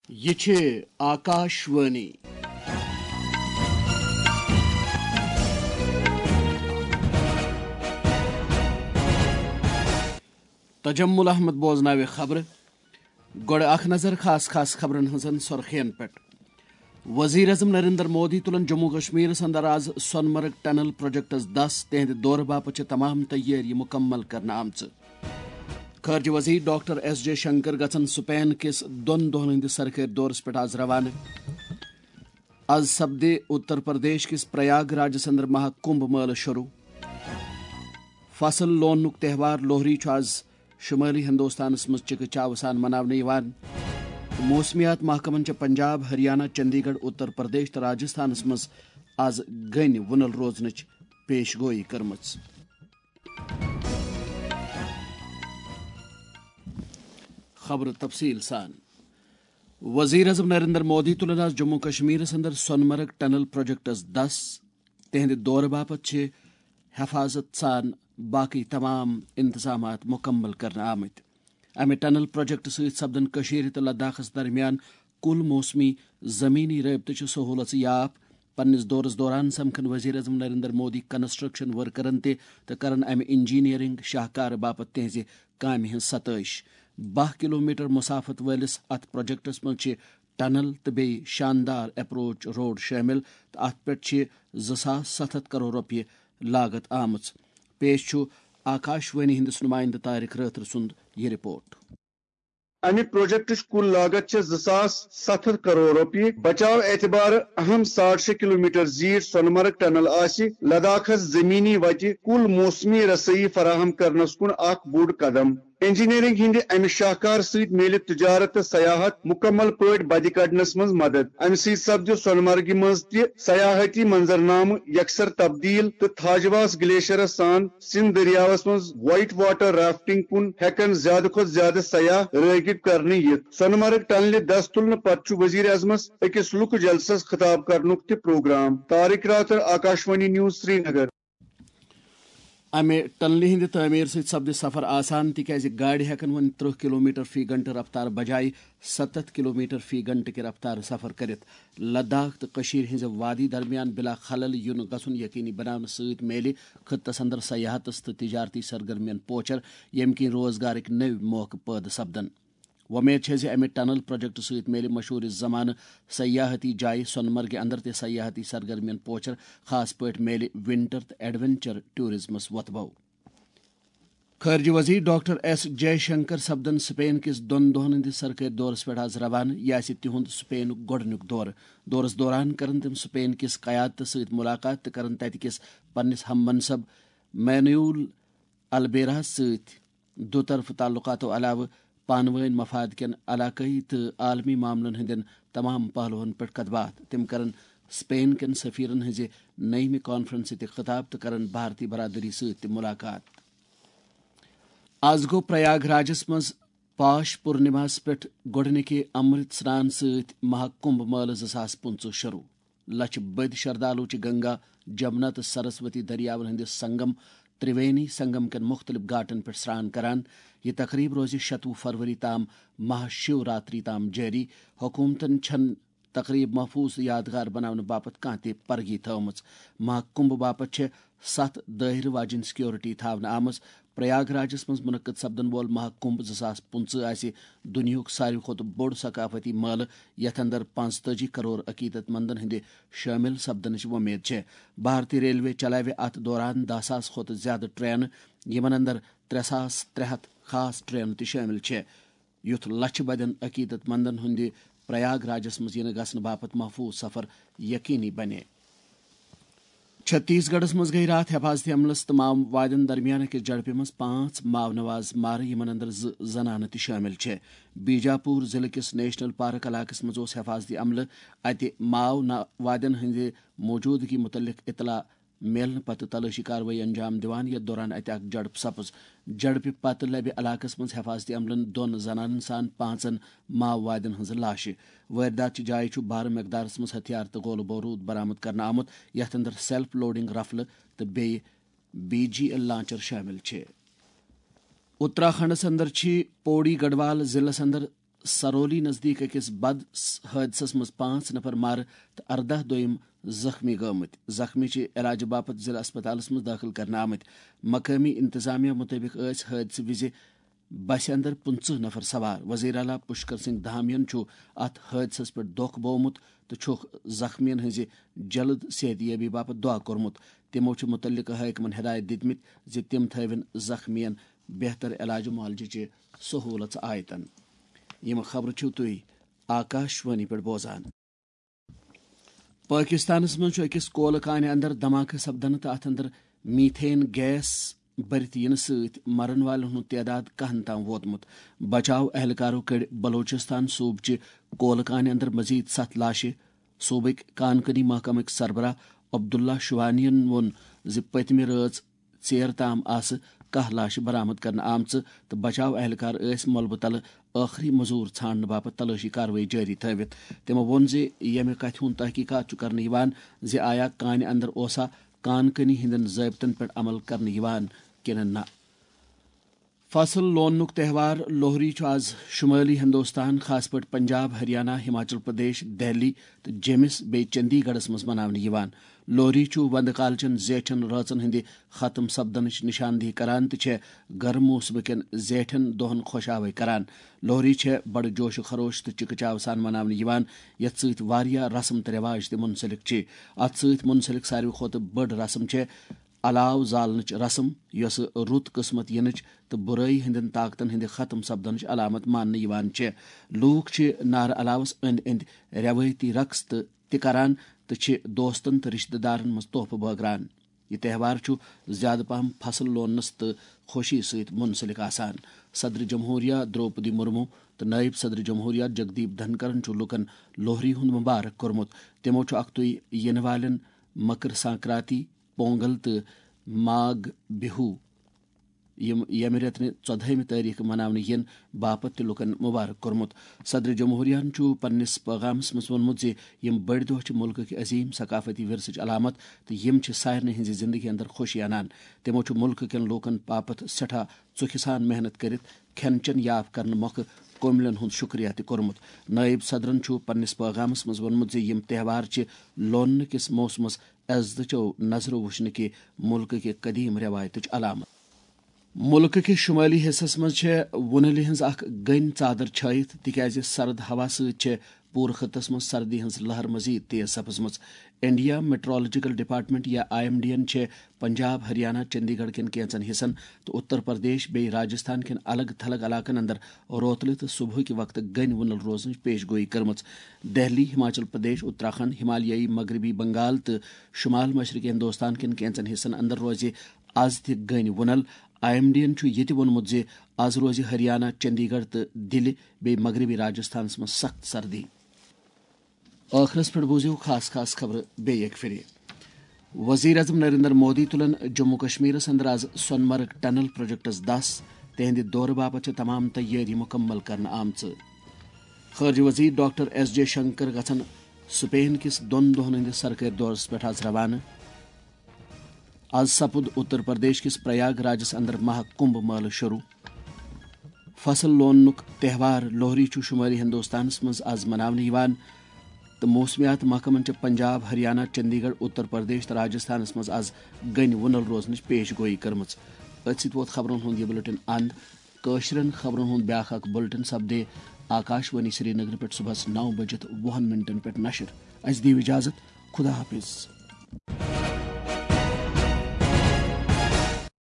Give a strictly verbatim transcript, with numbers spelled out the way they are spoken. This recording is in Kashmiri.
یہِ چھِ آکاشوانی۔ تجمل احمد بوزناوِ خبرٕ۔ گۄڈٕ اکھ نظر خاص خاص خبرن ہٕنٛزن سرخین پٮ۪ٹھ۔ وزیر اعظم نریندر مودی تُلن جموں کشمیرس اندر آز سۄنہٕ مرگ ٹنل پروجیکٹس دس، تِہنٛدِ دورٕ باپتھ چھِ تمام تیٲری مکمل کرنہٕ آمژٕ۔ خارجہ وزیر ڈاکٹر ایس جے شنکر گژھن سپین کِس دۄن دۄہن ہٕنٛدِس سرکٲرۍ دورس پٮ۪ٹھ آز روانہٕ۔ از سپدِ اتر پردیش کِس پریاگ راجس اندر مہا کمبھ مٲلہٕ شروع۔ فصل لوننُک تہوار لوہری چھُ از شمٲلی ہندوستانس منٛز چکہ چاوٕ سان مناونہٕ یِوان۔ موسمیات محکمن چھےٚ پنجاب، ہریانہ، چندی گڑھ، اتر پردیش تہٕ راجستھانس منٛز از گٔنۍ وُنل روزنٕچ پیش گویی کٔرمٕژ۔ خبرٕ تفصیٖل سان۔ وزیر اعظم نریندر مودی تُلن آز جموں کشمیرس اندر سۄنہٕ مرگ ٹنل پروجیکٹس دس۔ تِہنٛدِ دورٕ باپتھ چھِ حفاظت سان باقٕے تمام انتظامات مکمل کرنہٕ آمٕتۍ۔ امہِ ٹنل پروجیکٹ سۭتۍ سپدن کٔشیٖرِ تہٕ لداخس درمیان کُل موسمی زمینی رٲبطٕچہِ سہوٗلژٕ یاپھ۔ پننِس دورس دوران سمکھن وزیر اعظم نریندر مودی کنسٹرکشن ورکرن تہِ تہٕ کرن امہِ انجینئرنگ شاہکارٕ باپتھ تِہنٛزِ کامہِ ہٕنٛز ستٲیش۔ باہ کلومیٹر مسافت وٲلِس اتھ پروجیکٹس منٛز چھِ ٹنل تہٕ بیٚیہِ شاندار اپروچ روڈ شٲمِل تہٕ اتھ پٮ۪ٹھ چھِ زٕ ساس ستھ ہتھ کرور رۄپیہِ لاگت آمٕژ۔ پیش چھُ آکاشوانی ہٕنٛدِس نُمٲیندٕ طارق رٲتھر سُنٛد یہِ رپورٹ۔ امہِ پروجیکٹٕچ کُل لاگت چھےٚ زٕ ساس ستھ ہتھ کرور رۄپیہِ۔ بچاو اعتبارٕ اہم ساڑ شےٚ کلومیٹر زیٖٹھ سۄنہٕ مرگ ٹنل آسہِ لداخس زمینی وتہِ کُل موسمی رسٲیی فراہم کرنس کُن اکھ بوٚڑ قدم۔ انجینئرنگ ہٕنٛدِ امہِ شاہکار سۭتۍ میلہِ تجارت تہٕ سیاحت مکمل پٲٹھۍ بدِ کڑنس منٛز مدد۔ امہِ سۭتۍ سپدِ سۄنہٕ مرگہِ منٛز تہِ سیاحتی منظرنامہٕ یکسر تبدیل تہٕ تھاجواس گلیشیرس سان سندھ دٔریاوس منٛز وائٹ واٹر رافٹنگ کُن ہٮ۪کن زیادٕ کھۄتہٕ زیادٕ سیاح رٲغب کرنہٕ یِتھ۔ سۄنہٕ مرگ ٹنلہِ دس تُلنہٕ پتہٕ چھُ وزیر اعظمس أکِس لُکہٕ جلسس خطاب کرنُک تہِ پروگرام۔ طارق راتھر، آکاشوانی نیوز، سرینگر۔ امہِ ٹنلہِ ہٕنٛدِ تعمیٖر سۭتۍ سپدِ سفر آسان، تِکیازِ گاڑِ ہٮ۪کن وۄنۍ ترٕہ کلومیٹر فی گھنٹہٕ رفتار بجایہِ ستتھ کلومیٹر فی گھنٹہٕ کہِ رفتارٕ سفر کٔرِتھ۔ لداخ تہٕ کٔشیٖرِ ہٕنٛزِ وادی درمیان بلا خلل یُن گژھُن یقینی بناونہٕ سۭتۍ میلہِ خطس اندر سیاحتس تہٕ تجارتی سرگرمین پوچھر، ییٚمہِ کِنۍ روزگارٕکۍ نٔوۍ موقعہٕ پٲدٕ سپدن۔ وۄمید چھےٚ زِ امہِ ٹنل پروجیکٹ سۭتۍ میلہِ مشہوٗر زمانہٕ سیاحتی جایہِ سۄنہٕ مرگہِ اندر تہِ سیاحتی سرگرمین پوچھر، خاص پٲٹھۍ میلہِ ونٹر تہٕ ایڈونچر ٹورازمس وۄتھٕ بو۔ خارجہ وزیر ڈاکٹر ایس جے شنکر سپدن سپین کِس دۄن دۄہن ہٕنٛدِس سرکٲرۍ دورس پٮ۪ٹھ آز روانہٕ۔ یہِ آسہِ تِہُنٛد سپینُک گۄڈٕنیُک دورٕ۔ دورس دوران کرن تِم سپین کِس قیادتس سۭتۍ ملاقات تہٕ کرن تتہِ کِس پننِس ہم منصب مینوئل البیراہس سۭتۍ دُطرفہٕ تعلقاتو علاوٕ پانہٕ وٲنۍ مفاد کٮ۪ن علاقٲیی تہٕ عالمی معاملن ہٕنٛدٮ۪ن تمام پہلوہن پٮ۪ٹھ کتھ باتھ۔ تِم کرن سپین کٮ۪ن سفیرن ہٕنٛزِ نٔیمہِ کانفرنسہِ تہِ خطاب تہٕ کرن بھارتی برادری سۭتۍ تہِ ملاقات۔ آز گوٚو پریاگ راجس منٛز پاش پورنماہس پٮ۪ٹھ گۄڈٕنِکہِ امرت سران سۭتۍ مہا کمبھ مٲلہٕ زٕ ساس پٕنٛژٕہ شروع۔ لچھِ بٔدۍ شردالو چھِ گنگا، جمنا تہٕ سرسوتی دٔریاوَن ہٕنٛدِس سنگم، ترٛوینی سنگم کٮ۪ن مُختٔلِف گھاٹن پٮ۪ٹھ سرٛان کران۔ یہِ تقریٖب روزِ شتوُہ فروری تام مہا شیو راتری تام جٲری۔ حکوٗمتن چھَنہٕ تقریٖب محفوٗظ تہٕ یادگار بناونہٕ باپتھ کانٛہہ تہِ پرگی تھٲومٕژ۔ مہا کمبھ باپتھ چھِ ستھ دٲیرٕ واجیٚنۍ سیکورٹی تھاونہٕ آمٕژ۔ پریاگ راجس منٛز منعقد سپدن وول مہا کمبھ زٕ ساس پٕنٛژٕہ آسہِ دُنیاہُک ساروی کھۄتہٕ بوٚڑ ثقافتی مٲلہٕ، یتھ اندر پانٛژتٲجی کرور عقیدت مندن ہٕنٛدِ شٲمِل سپدنٕچ وۄمید چھےٚ۔ بھارتی ریلوے چلاوِ اتھ دوران دَہ ساس کھۄتہٕ زیادٕ ٹرینہٕ، یِمن اندر ترٛےٚ ساس ترٛےٚ ہتھ خاص ٹرینہٕ تہِ شٲمِل چھےٚ، یُتھ لچھِ بدٮ۪ن عقیدت مندن ہٕنٛدِ پریاگ راجس منٛز یِنہٕ گژھنہٕ باپتھ محفوٗظ سفر یقینی بنہِ۔ چھتیس گڑھس منٛز گٔیہِ راتھ حفاظتی عملس تہٕ ماؤوادین درمیان أکِس جھڑپہِ منٛز پانٛژھ ماؤنواز مارٕ، یِمن اندر زٕ زنانہٕ تہِ شٲمِل چھےٚ۔ بیجاپور ضلعہٕ کِس نیشنل پارک علاقس منٛز اوس حفاظتی عملہٕ اتہِ ماؤنوادین ہٕنٛدِ موجودگی مُتعلق اطلاع میلنہٕ پتہٕ تلٲشی کاروٲیی انجام دِوان، یتھ دوران اتہِ اکھ جھڑپ سپٕز۔ جھڑپہِ پتہٕ لبہِ علاقس منٛز حفاظتی عملن دۄن زنانن سان پانٛژن ماؤوادین ہٕنٛزٕ لاشہِ۔ وٲرۍدات چہِ جایہِ چھُ بھارٕ مقدارس منٛز ہتھیار تہٕ گولہٕ بوروٗد برآمد کرنہٕ آمُت، یتھ اندر سیلف لوڈنگ رفلہٕ تہٕ بیٚیہِ بی جی ایل لانچر شٲمِل چھِ۔ اتراکھنڈس اندر چھِ پوڑی گڑھوال ضلعس اندر سرولی نزدیک أکِس بد حٲدثس منٛز پانٛژھ نفر مارٕ تہٕ ارداہ دوٚیم زخمی گٔمٕتۍ۔ زخمی چھِ علاجہٕ باپتھ ضلع اسپتالس منٛز دٲخل کرنہٕ آمٕتۍ۔ مقٲمی انتظامیہ مُطٲبِق ٲسۍ حٲدثہٕ وِزِ بسہِ اندر پٕنٛژٕہ نفر سوار۔ وزیر اعلیٰ پشکر سنگھ دھامین چھُ اتھ حٲدثس پٮ۪ٹھ دۄکھ بوومُت تہٕ چھُکھ زخمیَن ہٕنٛزِ جلد صحت یابی باپتھ دعا کوٚرمُت۔ تِمو چھِ مُتعلقہٕ حٲکمَن ہدایت دِتمٕتۍ زِ تِم تھٲوِن زخمیَن بہتر علاج معالجٕچہِ سہوٗلژ آیتن۔ یِم خبرٕ چھِو تُہۍ آکاش وانی پٮ۪ٹھ بوزان۔ پٲکِستانَس منٛز چھُ أکِس کولہٕ کانہِ اندر دھماکہٕ سپدنہٕ تہٕ اَتھ اندر میٖتھین گیس بٔرِتھ یِنہٕ سۭتۍ مرن والٮ۪ن ہُنٛد تعداد کَہَن تام ووتمُت۔ بچاو اہلکارو کٔڑۍ بلوچستان صوٗبہٕ چہِ کولہٕ کانہِ اندر مزید ستھ لاشہِ۔ صوبٕکۍ کانکنی محکمٕکۍ سربراہ عبداللہ شوانین ووٚن زِ پٔتمہِ رٲژ ژیر تام آسہٕ کاہ لاشہِ برآمد کرنہٕ آمژٕ تہٕ بچاو اہلکار ٲسۍ ملبہٕ تلہٕ ٲخری مزور ژھانڈنہٕ باپتھ تلٲشی کاروٲیی جٲری تھٲوِتھ۔ تِمو ووٚن زِ ییٚمہِ کتھِ ہُنٛد تحقیقات چھُ کرنہٕ یِوان زِ آیا کانہِ اندر اوسا کانکنی ہٕنٛدٮ۪ن ضٲبطن پٮ۪ٹھ عمل کرنہٕ یِوان کِنہٕ نہ۔ فصل لوننُک تہوار لوہری چھُ آز شمٲلی ہندوستان، خاص پٲٹھۍ پنجاب، ہریانہ، ہماچل پردیش، دہلی تہٕ جیمِس بیٚیہِ چندی گڑھس منٛز مناونہٕ یِوان۔ لوہری چھُ وندٕ کالچٮ۪ن زیٹھٮ۪ن رٲژن ہٕنٛدِ ختم سپدنٕچ نشاندہی کران تہٕ چھےٚ گرم موسمہٕ کٮ۪ن زیٹھٮ۪ن دۄہن خۄش آوے کران۔ لوہری چھےٚ بڑٕ جوش و خروش تہٕ چکہ چاو سان مناونہٕ یِوان، یتھ سۭتۍ واریاہ رسم تہٕ رٮ۪واج تہِ منسلک چھِ۔ اتھ سۭتۍ منسلک ساروی کھۄتہٕ بٔڑ رسم چھےٚ الاو زالنٕچ رسم، یۄسہٕ رُت قٕسمت یِنٕچ تہٕ بُرٲیی ہٕنٛدٮ۪ن طاقتن ہٕنٛدِ ختم سپدنٕچ علامت ماننہٕ یِوان چھےٚ۔ لوٗکھ چھِ نارٕ الاوس أنٛدۍ أنٛدۍ رٮ۪وٲیتی رقص تہٕ تہِ کران تہٕ چھِ دوستن تہٕ رشتہٕ دارن منٛز تحفہٕ بٲگراوان۔ یہِ تہوار چھُ زیادٕ پہم فصل لوننس تہٕ خوشی سۭتۍ منسلک آسان۔ صدر جمہوریہ درٛوپدی مرمو تہٕ نٲیِب صدر جمہوریہ جگدیپ دھنکرن چھُ لوٗکن لوہری ہُنٛد مبارک کوٚرمُت۔ تِمو چھُ اکھتُے یِنہٕ والٮ۪ن مکر سنکرانتی، پونگل تہٕ ماگ بِہو، یِم ییٚمہِ رٮ۪تہٕ ژۄدہٲیمہِ تٲریخہٕ مناونہٕ یِن باپتھ تہِ لوٗکن مبارک کوٚرمُت۔ صدر جمہوریہن چھُ پننِس پٲغامس منٛز ووٚنمُت زِ یِم بٔڑۍ دۄہ چھِ مُلکٕکۍ عظیٖم ثقافتی ورثٕچ علامت تہٕ یِم چھِ سارنٕے ہٕنٛزِ زندگی اندر خوشی انان۔ تِمو چھُ مُلکہٕ کٮ۪ن لوٗکن باپتھ سٮ۪ٹھاہ ژُکھِ سان محنت کٔرِتھ کھٮ۪ن چٮ۪ن یاف کرنہٕ مۄکھٕ کوملن ہُنٛد شُکریہ تہِ کوٚرمُت۔ نٲیِب صدرن چھُ پننِس پٲغامس منٛز ووٚنمُت زِ یِم تہوار چھِ لوننہٕ کِس موسمس عزتٕچو نظرو وٕچھنہٕ کہِ مُلکہٕ کہِ قدیٖم رٮ۪وایتٕچ علامت۔ مُلکہٕ کہِ شُمٲلی حصس منٛز چھےٚ وُنلہِ ہٕنٛز اکھ گٔنۍ ژادر چھٲیِتھ، تِکیازِ سرد ہوا سۭتۍ چھےٚ پوٗرٕ خطس منٛز سردی ہٕنٛز لہر مزید تیز سپٕزمٕژ۔ انڈیا میٹرولوجیکل ڈپارٹمنٹ یا آئی ایم ڈی ین چھےٚ پنجاب، ہریانہ، چندی گڑھ کٮ۪ن کینٛژن حصن تہٕ اتر پردیش بیٚیہِ راجستھان کٮ۪ن الگ تھلگ علاقن اندر روتلہِ تہٕ صبحٕکہِ وقتہٕ گٔنۍ وُنل روزنٕچ پیش گویی کٔرمٕژ۔ دہلی، ہماچل پردیش، اتراکھنڈ، ہمالیائی مغربی بنگال تہٕ شمال مشرقی ہندوستان کٮ۪ن کینٛژن حصن اندر روزِ از تہِ گٔنۍ وُنل۔ آئی ایم ڈی ین چھُ یہِ تہِ ووٚنمُت زِ از روزِ ہریانہ، چندی گڑھ تہٕ دِلہِ بیٚیہِ مغربی راجستھانس منٛز سخت سردی۔ ٲخرس پٮ۪ٹھ بوٗزِو خاص خاص خبرٕ بیٚیہِ اکہِ پھِرِ۔ وزیر اعظم نریندر مودی تُلن جموں کشمیرس اندر از سونمرگ ٹنل پروجیکٹس دس۔ تہنٛدِ دورٕ باپتھ چھِ تمام تیٲری مکمل کرنہٕ آمژٕ۔ خارجہ وزیر ڈاکٹر ایس جے شنکر گژھن سپین کِس دۄن دۄہن ہٕنٛدِس سرکٲرۍ دورس پٮ۪ٹھ از روانہٕ۔ از سپُد اتر پردیش کِس پریاگ راجس اندر مہا کمبھ مٲلہٕ شروع۔ فصل لوننُک تہوار لوہری چھُ شمٲلی ہندوستانس منٛز از مناونہٕ یِوان تہٕ موسمیات محکمن چھِ پنجاب، ہریانہ، چندی گڑھ، اتر پردیش تہٕ راجستھانس منٛز از گٔنۍ وُنل روزنٕچ پیش گویی کٔرمٕژ۔ أتھۍ سۭتۍ ووت خبرن ہُنٛد یہِ بُلٹن اند۔ کٲشرٮ۪ن خبرن ہُنٛد بیٛاکھ اکھ بُلٹن سپدِ آکاش وانی سرینگرٕ پٮ۪ٹھ صبحس نو بجِتھ وُہن منٹن پٮ۪ٹھ نشر۔ اسہِ دِیِو اجازت۔ خدا حافظ۔